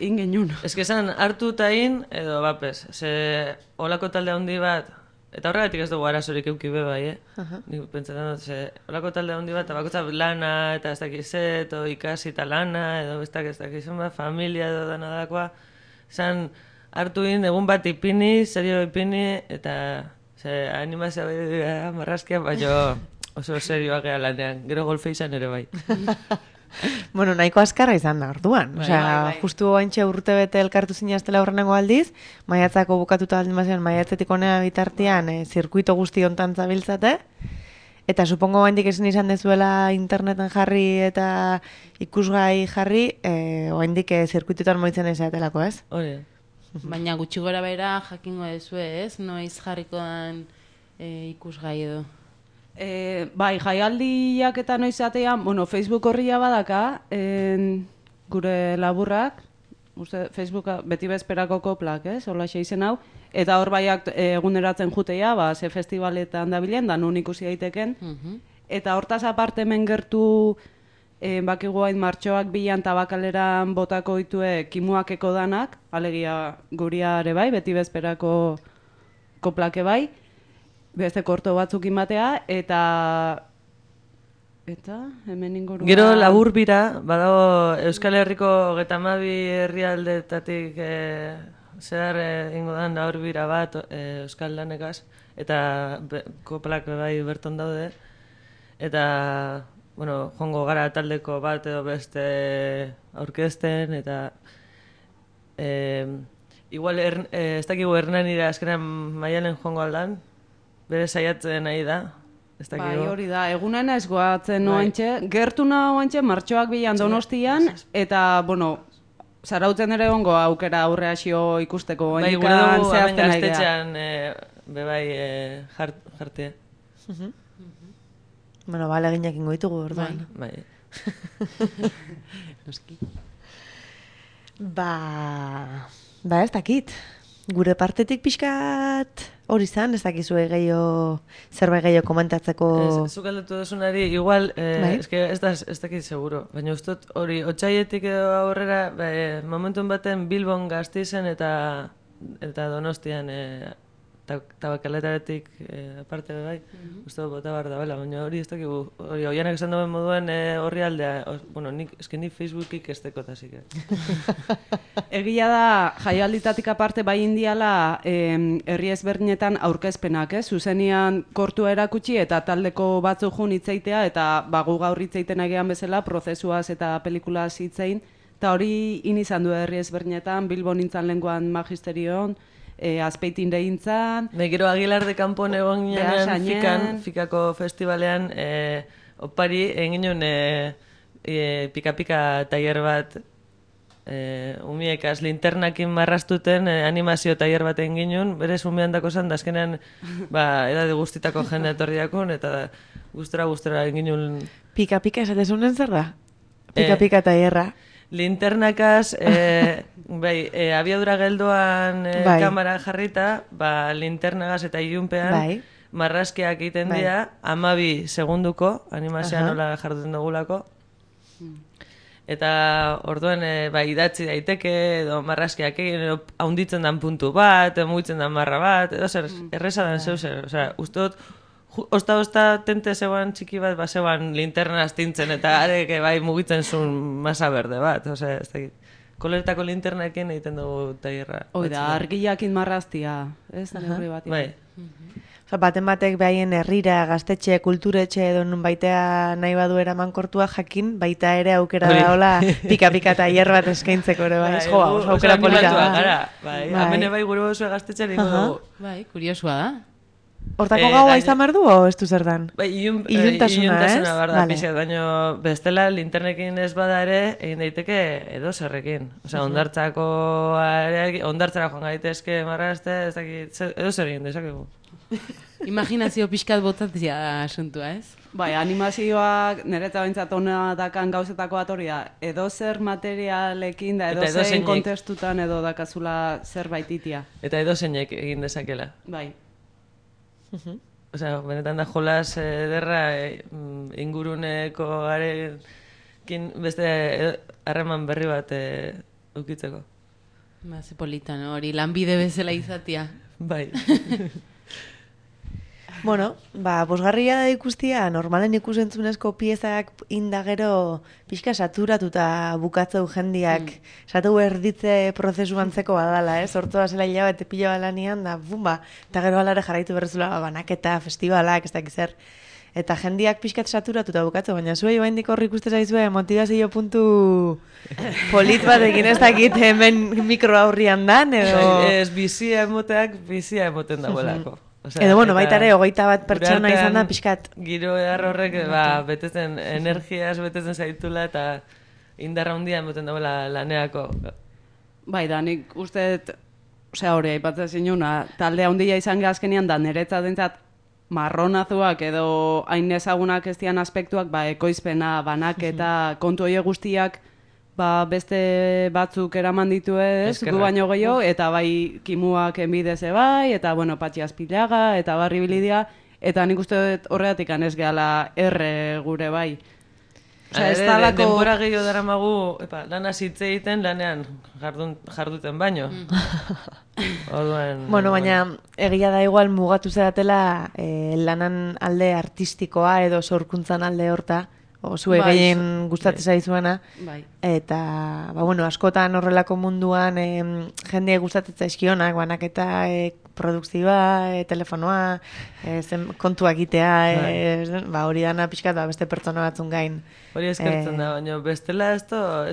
ingenun. Ez que zan, hartu eta in, edo bapes, ze holako talde handi bat, eta horregatik ez dugu arazorik euki be bai, Nik pentsatzen dut, ze holako talde handi bat, eta bakotza lana, eta ez dakizet, edo ikasi eta lana, edo ez dakizun bat, familia edo dana dakoa, zan, hartu in, egun bat ipini, serio ipini, eta animazioa behar marrazkia, baina oso serioa geha lanean, gero golfe izan ere bai. Bueno, nahiko azkarra izan da, orduan. Justu haintxe urte bete elkartu zinaztela horrenengo aldiz, maiatzako bukatuta aldin bazian, maiatzetik honea bitartean, zirkuito guzti hontan zabiltzate, eta supongo oaindik esan izan dezuela interneten jarri eta ikusgai jarri, oaindik zirkuitutan moitzen ezatelako, ez? Hori. Baina gutxi gora bera jakingo dezu ez, noiz jarriko dan ikusgai edo. Bai, jaialdiak eta noiz atean, Facebook horria badaka, gure laburrak, Facebooka beti bezperako koplak, hola izen hau, eta hor baiak eguneratzen jutea, ze festivaletan dabilen, da nun ikusi daiteken, eta hortaz aparte hemen gertu, bakigu hain martxoak bilan tabakaleran botako ditue kimuakeko danak, alegia guriare bai, beti bezperako koplake bai, beste korto batzuk imatea, eta hemen inguruan... Gero labur bira, badago Euskal Herriko 32 herrialdetatik zehar ingo dan labur bira bat Euskal Lanekaz, eta koplak bai berton daude, eta jongo gara taldeko bat edo beste aurkezten, eta igual ez dakigu Hernanira azkenean Maialen jongo aldan, bere saiatzen nahi da. Bai, hori da, egunena ez goatzen oantxe, gertu nahi oantxe, martxoak bilan Donostian, eta, zarautzen ere ongo aukera aurre hasio ikusteko. Bai, gure dugu hemen Gaztetxean bebai jartia. Leginak ingo ditugu orduan. Bai. Ba, ez dakit. Gure partetik pixkat hori izan, ez dakizue zerbait gehiago komentatzeko... Zuk aldatu duzunari, igual, ez dakit seguro, baina ustot hori, otxaietik edo aurrera, momentun baten Bilbon Gasteizen eta Donostian tabakaletaretik aparte bai, uste bota behar da, baina hori ez dakigu, hori oianak esan duen moduen horri aldea, bueno, nik Facebookik ez dekotasik. Egia da, jaialditatik aparte bai indiala herri ezberdinetan aurkezpenak, zuzenian kortua erakutsi eta taldeko batzuk jun hitzaitea eta gu gaur hitzaiten egean bezala prozesuaz eta pelikulaz hitzein, eta hori izan du herri ezberdinetan, Bilbon nintzan lenguan magisterion, Azpeitin dehintzan. Gero Aguilar de Campon egon ginean Fikako festivalean opari egin ginen pika-pika tailer bat umiekaz linternakin marrastuten animazio tailer bat egin ginen, berez umean dako zan, da azkenean edade guztitako jende etorri dakon, eta guztora egin ginen... Pika-pika esatezunen zer da? Pika-pika tailerra. Linternakaz, abiadura geldoan kamera jarrita, linternagaz eta ilunpean marrazkiak egiten dira, 12 segunduko, animazioa nola jarduten dugulako. Eta orduen idatzi daiteke, edo marrazkiak egin, haunditzen dan puntu bat, mugitzen dan marra bat, edo zer, erreza dan zeu zer. Osea, uste dut, Osta tente zegoan txiki bat, zegoan linterna astintzen, eta areke mugitzen zuen masa berde bat. Osea, ez dakit. Koleretako linternaekin egiten dugu tailerra. Oida, argiakin marraztia, ez? Neurri bat. Bai. Osa, baten batek behaien herrira, gaztetxe, kulturetxe edo nun baitea nahi badu eraman kortua jakin, baita ere aukera da hola pika-pika tailer bat eskaintzeko ere, bai, oso aukera polita da. Hamene gure bozue gaztetxe niko dugu. Bai, kuriosua da. Hortako gaua izan behar du, o ez du zer dan? Iluntasuna, behar da, pixat, baina bestela linternekin ez bada ere, egin daiteke edo zerrekin. Osea, ondartzara joan gaitezke marrazte, edo zer egin dezakegu. Imaginazio pixkat botatzea asuntua, ez? Bai, animazioak niretzat bintzat hona dakan gauzetako bat hori da, edo zer materialekin da, edo zein kontestutan edo dakazula zerbait itia. Eta edo zeinek egin dezakela. Bai. Osea, benetan da jolas ederra inguruneko garekin beste harreman berri bat ukitzeko. Ze polita, no? Hori lanbide bezala izatia. Bai. Bueno, bosgarria da ikustia, normalen ikusentzunezko piezak indagero pixka saturatuta bukatzeu jendiak, esatu erditze prozesu antzeko badala, sortua zela hilabete pila balanian, da bumba, eta gero alare jarraitu berrezula banaketa, festivalak, ez dakiz zer. Eta jendiak pixkat saturatuta bukatzeu, baina zuei baindik horri ikuste zaizue motivazio puntu polit batekin ez dakit hemen mikro aurrian dan, edo... Ez bizia emoteak, bizia emoten dagoelako. Edo, bueno, baita ere, 21 pertsona izan da, pixkat. Giro edar horrek, betetzen, energiaz betetzen zaitula, eta indarra hundia emoten dagoela laneako. Bai, da, nik uste, hori, aipatzen zinuna, talde handia izan gazkenian, da, niretzat dintzat, marronazuak edo hain ezagunak ez dian aspektuak, ekoizpena, banaketa, kontu hori guztiak, beste batzuk eraman ditu ez, gu baino gehiago, eta bai kimuak enbidez bai, eta Patxi Azpilaga, eta Barri Bilidia, eta nik uste horregatik ez gehala erre gure bai. Denbora gehiago daramagu, lana zitze egiten, lanean jarduten baino. Bueno, baina egia da igual mugatu zeratela lanan alde artistikoa edo sorkuntzan alde horta, zue gehien gustatzen zaizuena, eta askotan horrelako munduan jende gustatzen zaizkionak, banaketa produkzioa, telefonoa, kontua egitea, hori dana pixkat beste pertsona batzun gain. Hori eskertzen da, baina bestela ez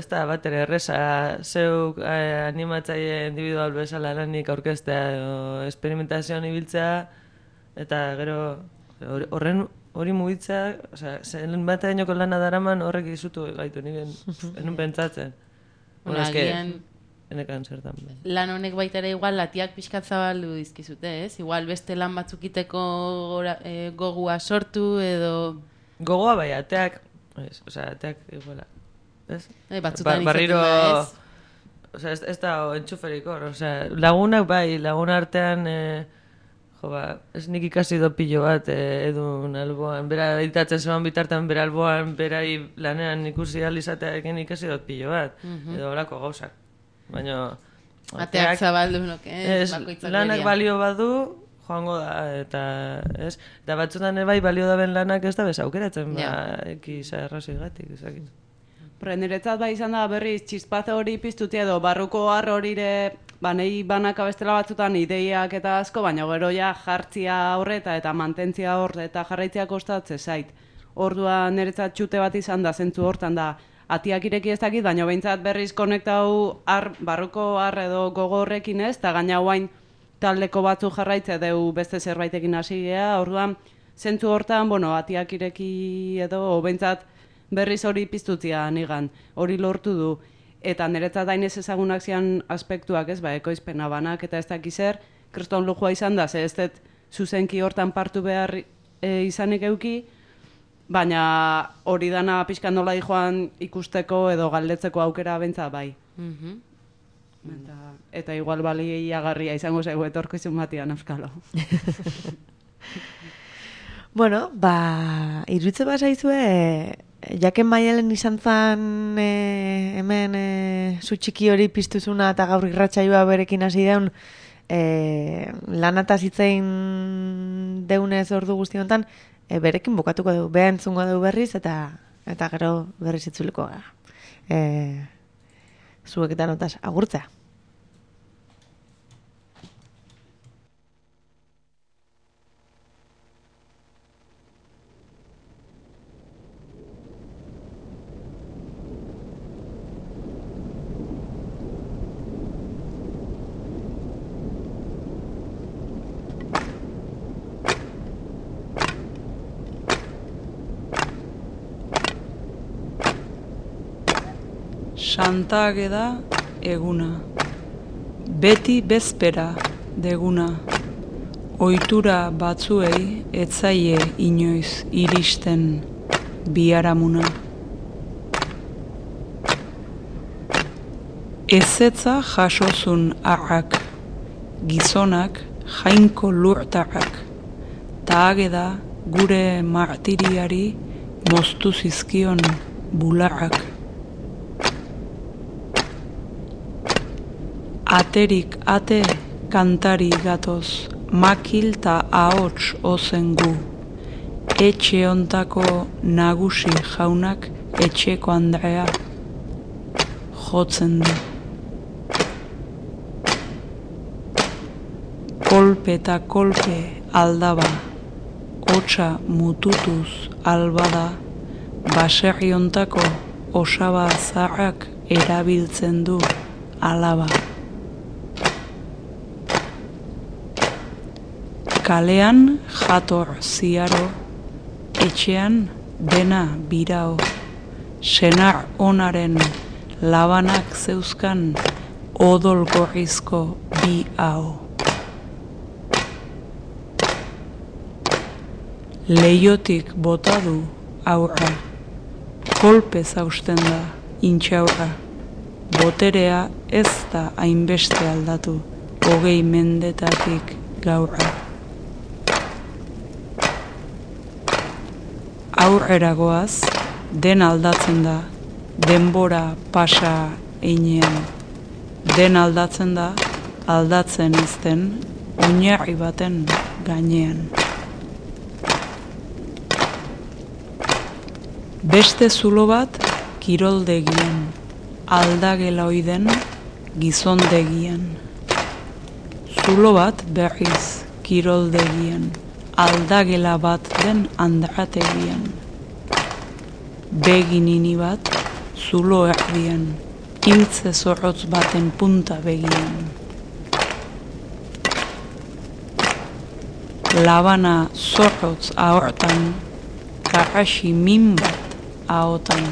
da bat ere erreza, zeuk animatzaile individual bezala lanik aurkeztea, experimentazioan ibiltzea, eta gero horren hori mugitzea, zelen bat eginoko lana daraman horrek izutu gaitu, enun pentsatzen. Agian, enekan zertan. Lan honek baita ere igual latiak pixkat zabaldu dizkizute, ez? Igual beste lan batzukiteko gogua sortu edo... Gogoa bai, ateak iguala, ez? Batzutan izaten da, ez? osea, ez da entxuferik hor, osea, lagunak bai, lagun artean, ez nik ikasi do pilo bat, edun alboan, bera editatzen zeban bitartean, bera alboan, berai lanean ikusi alizatearekin ikasi dut pilo bat, edo horako gauzak. Baina... Ateak zabaldu, noke, bakoitzak lanak balio badu, joango da, eta batzutan bai balio daben lanak ez da bez aukeratzen, ekiza erraziogatik, ezakit. Niretzat bai izan da berriz txispaze hori piztutia edo barruko har horire nahi banaka bestela batzutan ideiak eta asko, baina gero ja jartzia horreta eta mantentzia horre eta jarraitzia kostatze zait. Orduan niretzat txute bat izan da, zentzu hortan da, atiak ireki ez dakit, baina behintzat berriz konektau barruko har edo gogo horrekin ez, eta gaina guain taldeko batzu jarraitzea deu beste zerbaitekin hasi gea, orduan zentzu hortan, atiak ireki edo behintzat berriz hori piztutzia nigan, hori lortu du. Eta niretzat dainez ezagunak zian aspektuak ez, ekoizpena banak eta ez dakizer, kriston lujua izan da, ze ez dut zuzenki hortan partu behar izanik euki, baina hori dana pixkan nola joan ikusteko edo galdetzeko aukera bentsa bai. Eta igual bali agarria izango zaigu etorkizun batian euskalo. Bueno, iruditze bazaizue, jaken Maialen izan zan hemen zu txiki hori piztuzuna eta gaur irratsaioa berekin hasi deun lanataz hitzein deunez ordu guzti honetan, berekin bukatuko dugu, beha entzungo dugu berriz eta gero berriz itzuliko gara. Zueketan otaz, agurtzea. Santa Ageda eguna, beti bezpera deguna, ohitura batzuei etzaie inoiz iristen biharamuna. Ezetza jasozun arrak, gizonak jainko lurtarrak, ta Ageda gure martiriari moztu zizkion bularrak. Aterik ate kantari gatoz, makil ta ahots ozen gu. Etxe ontako nagusi jaunak etxeko Andrea jotzen du. Kolpe eta kolpe aldaba, hotsa mututuz albada, baserri ontako osaba zaharrak erabiltzen du alaba. Kalean jator ziaro, etxean dena birao, senar onaren labanak zeuzkan odol gorrizko bi hau. Leiotik bota du aurra, kolpez hausten da intxaurra, boterea ez da hainbeste aldatu, 20 mendetatik gaurra. Aurrera goaz, den aldatzen da, denbora pasa einean. Den aldatzen da, aldatzen ezten, oinarri baten gainean. Beste zulo bat, kiroldegian, aldagela oiden, gizondegian. Zulo bat berriz, kiroldegian, aldagela bat den andrategian. Beginini bat, zulo erdian, intze zorrotz baten punta begian. Labana zorrotz ahortan, karrasi min bat ahotan.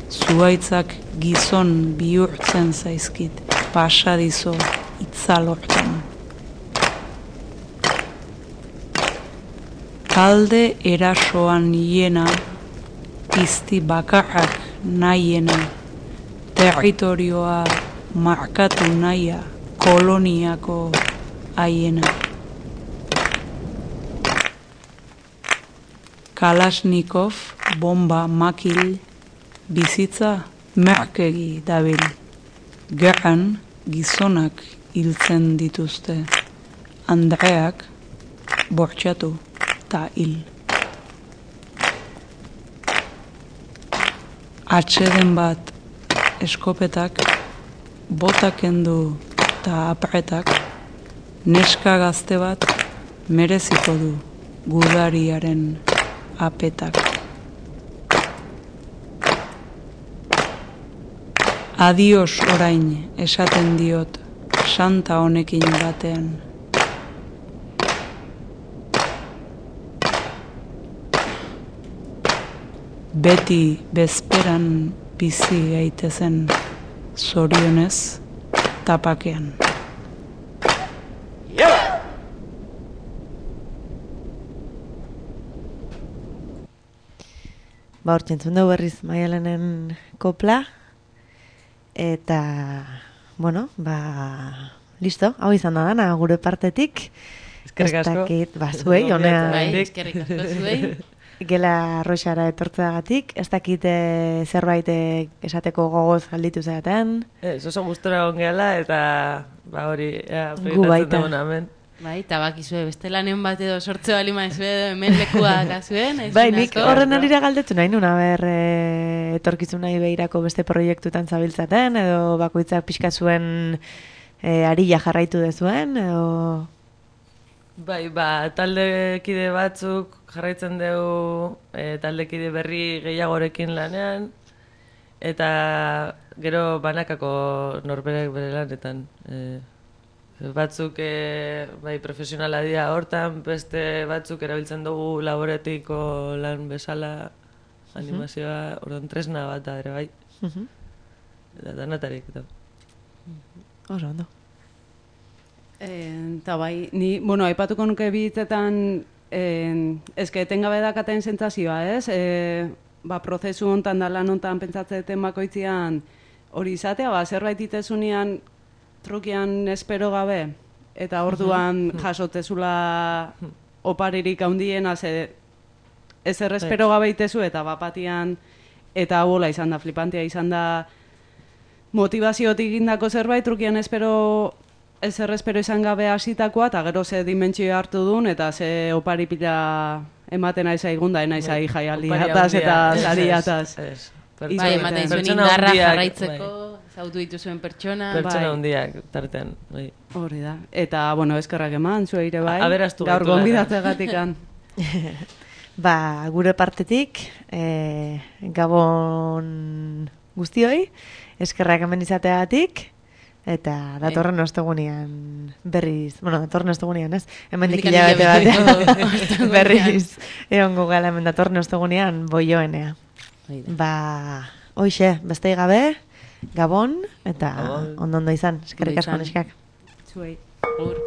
Zuaitzak gizon bihurtzen zaizkit, pasadizo itzalortan. Talde erasoan hiena, pizti bakarrak nahiena, territorioa markatu naia koloniako haiena. Kalashnikov bomba makil bizitza merkegi dabil. Gerran gizonak hiltzen dituzte. Andreak bortxatu ta hil. Atxeden bat eskopetak, botak kendu ta apretak, neska gazte bat mereziko du gudariaren apetak. Adios orain esaten diot santa honekin batean. Beti bezperan bizi gaitezen zorionez tapakean. Ba, hortzentzun dugu berriz Maialenen kopla, eta, bueno, ba, listo, hau izan da dana, gure partetik. Eskerrik asko. Ez dakit, ba, zuei, honea, Bai, eskerrik asko zuei. Gela Roxara etortzeagatik, ez dakit zerbait esateko gogoz galditu zaten. Oso gustora ongeala, eta, ba, hori, Gu baita. dugun hemen. Bai, tabakizue, beste lanen bat edo sortze bali maizue, hemen lekua gazuen. Bai, nik horren arira galdetu nahi nuna, etorkizun nahi behirako beste proiektutan zabiltzaten, edo bakoitzak pixka zuen arila jarraitu dezuen, edo... Bai, ba, taldekide batzuk jarraitzen dugu taldekide berri gehiagorekin lanean, eta gero banakako norberak bere lanetan. Batzuk bai, profesionala dira hortan, beste batzuk erabiltzen dugu laboretiko lan bezala animazioa, orduan tresna bat da ere bai. Eta danatarik. Oso ondo. Eta bai, ni, bueno, aipatuko nuke bitzetan, eske etengabe dakaten sentsazioa, ez? Ba, prozesu hontan da lan hontan pentsatzeten bakoitzian hori izatea, ba, zerbait itezunean trukian espero gabe, eta orduan jasotezula oparirik handiena, ezer espero gabe itezu, eta bapatian, eta bola izan da, flipantea izan da, motivaziotik indako zerbait, trukian ezer espero izan gabe hasitakoa, eta gero ze dimentsio hartu duen, eta ze opari pila ematen aiza igunda, enaiza jaialdiataz eta zariataz. Bai, ematen zuen indarra jarraitzeko, zautu dituzuen pertsona. Pertsona hundiak, tartean. Hori da. Eta, bueno, eskerrak eman, zueire bai. Aberastu gaur gonbidatzegatikan. Ba, gure partetik, Gabon guztioi, eskerrak eman izateagatik, eta datorren ostegunean berriz, bueno, datorren ostegunean, ez? Hemendik hilabete batean berriz egongo gala hemen datorren ostegunean boioenea. Ba, hoixe, bestei gabe, Gabon, eta ondo izan, eskerrik asko neskak. Zuei. Agur.